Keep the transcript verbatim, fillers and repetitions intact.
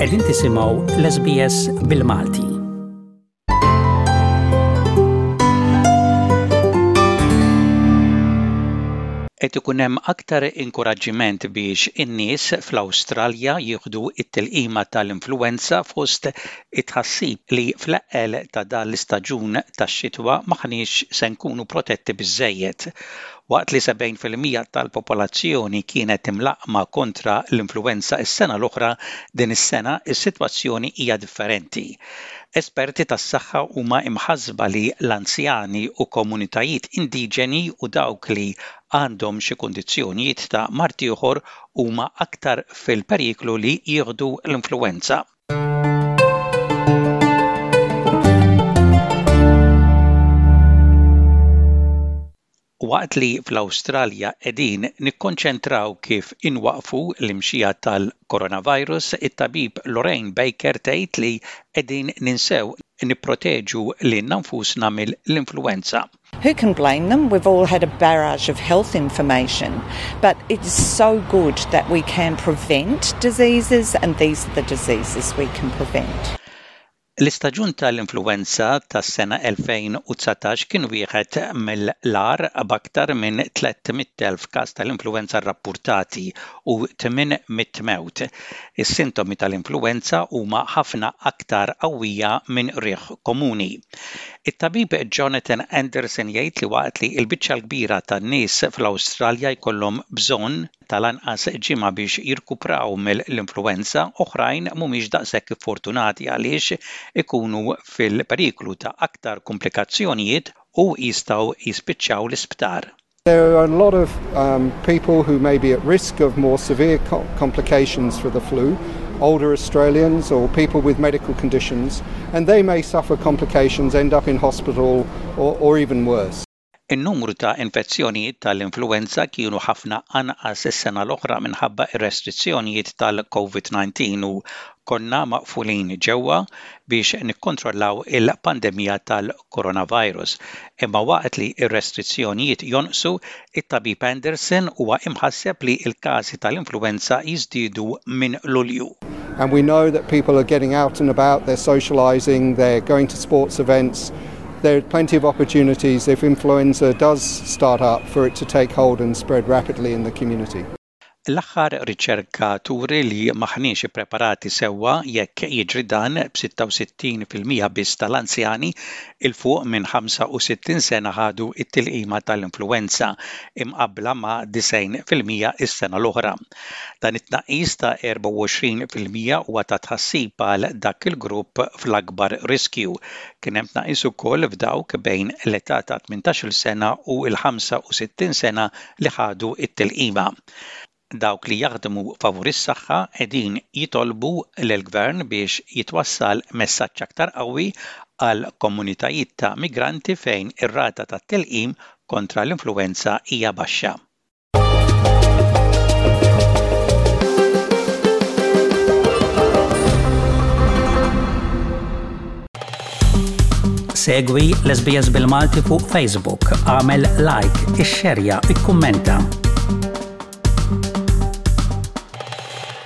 Qegħdin tisimgħu l-S B S bil-Malti. Qed ikun hemm aktar inkoraġġiment biex in-nies fl-Awstralja jieħdu t-tilqima tal-influwenza fost it-tħassib li fl-eqqel ta' dan l-istaġun tax-xitwa m'aħniex se nkunu protetti biżejjed. Waqt li sebgħin fil-mija tal-popolazzjoni kienet imlaqqma kontra l-influwenza s-sena l-oħra, din is-sena is-sitwazzjoni hija differenti. Esperti tas-saħħa huma imħasba li l-anzjani u komunitajiet indiġeni u dawk li għandhom xi kundizzjonijiet ta' mard ieħor huma aktar fil-periklu li jieħdu l-influwenza. Waqt li fl-Awstralja qegħdin nikkonċentraw kif inwaqfu l-imxija tal-coronavirus, it-tabib Lorraine Baker tgħid li qegħdin ninsew nipproteġu lilna nfusna mill-influwenza. Who can blame them? We've all had a barrage of health information, but it's so good that we can prevent diseases, and these are the diseases we can prevent. L-istaġun tal-influwenza tas-sena elfejn u dsatax kien wieħed mill-agħar, b'aktar minn tliet mitt elf każ tal-influwenza rrappurtati u tmien mitt mewt. Is-sintomi tal-influwenza huma ħafna aktar qawwija minn riħ komuni. It-tabib Jonathan Anderson jgħid li waqt li l-biċċa l-kbira tan-nies fl-Awstralja jkollhom bżonn tal-anqas ġimgħa biex jirkupraw mill-influwenza, oħrajn mhumiex daqshekk fortunati għaliex ikunu fil-periklu ta' aktar komplikazzjonijiet u jistgħu jispiċċaw l-isptar. There are a lot of um, people who may be at risk of more severe co complications for the flu, older Australians or people with medical conditions, and they may suffer complications, end up in hospital or, or even worse. In-numru ta' infezzjonijiet tal-influwenza kienu ħafna anqas is-sena l-oħra minħabba ir-restrizzjonijiet tal-COVID nineteen u konna maqfulin ġewwa biex nikkontrollaw il-pandemija tal-coronavirus. Imma waqt li ir-restrizzjonijiet jonqsu, it-tabib Anderson huwa imħasseb li l-każi tal-influwenza jiżdiedu minn Lulju. And we know that people are getting out and about, they're socializing, they're going to sports events. There are plenty of opportunities, if influenza does start up, for it to take hold and spread rapidly in the community. L-aħħar riċerka turi li m'aħniex ippreparati sewwa jekk jiġri dan, b'sitta u sittin fil-mija biss tal-anzjani 'il fuq minn ħamsa u sittin sena ħadu it-tilqima tal-influwenza, imqabbla ma' disgħin fil-mija is-sena l-oħra. Dan it-tnaqqis ta' erbgħa u għoxrin fil-mija huwa ta' tħassib għal dak il-grupp fl-akbar riskju. Kien hemm tnaqqis ukoll f'dawk bejn l-età ta' tmintax-il sena u l-ħamsa u sittin sena li ħadu it-tilqima. Dawk li jaħdmu favur is-saħħa qegħdin jitolbu lill-gvern biex jitwassal messaġġ aktar qawwi għal komunitajiet ta' migranti fejn ir-rata ta' tilqim kontra l-influwenza hija baxxa. Segwi l-S B S bil-Malti fuq Facebook, għamel like, ixxerja, ikkummenta.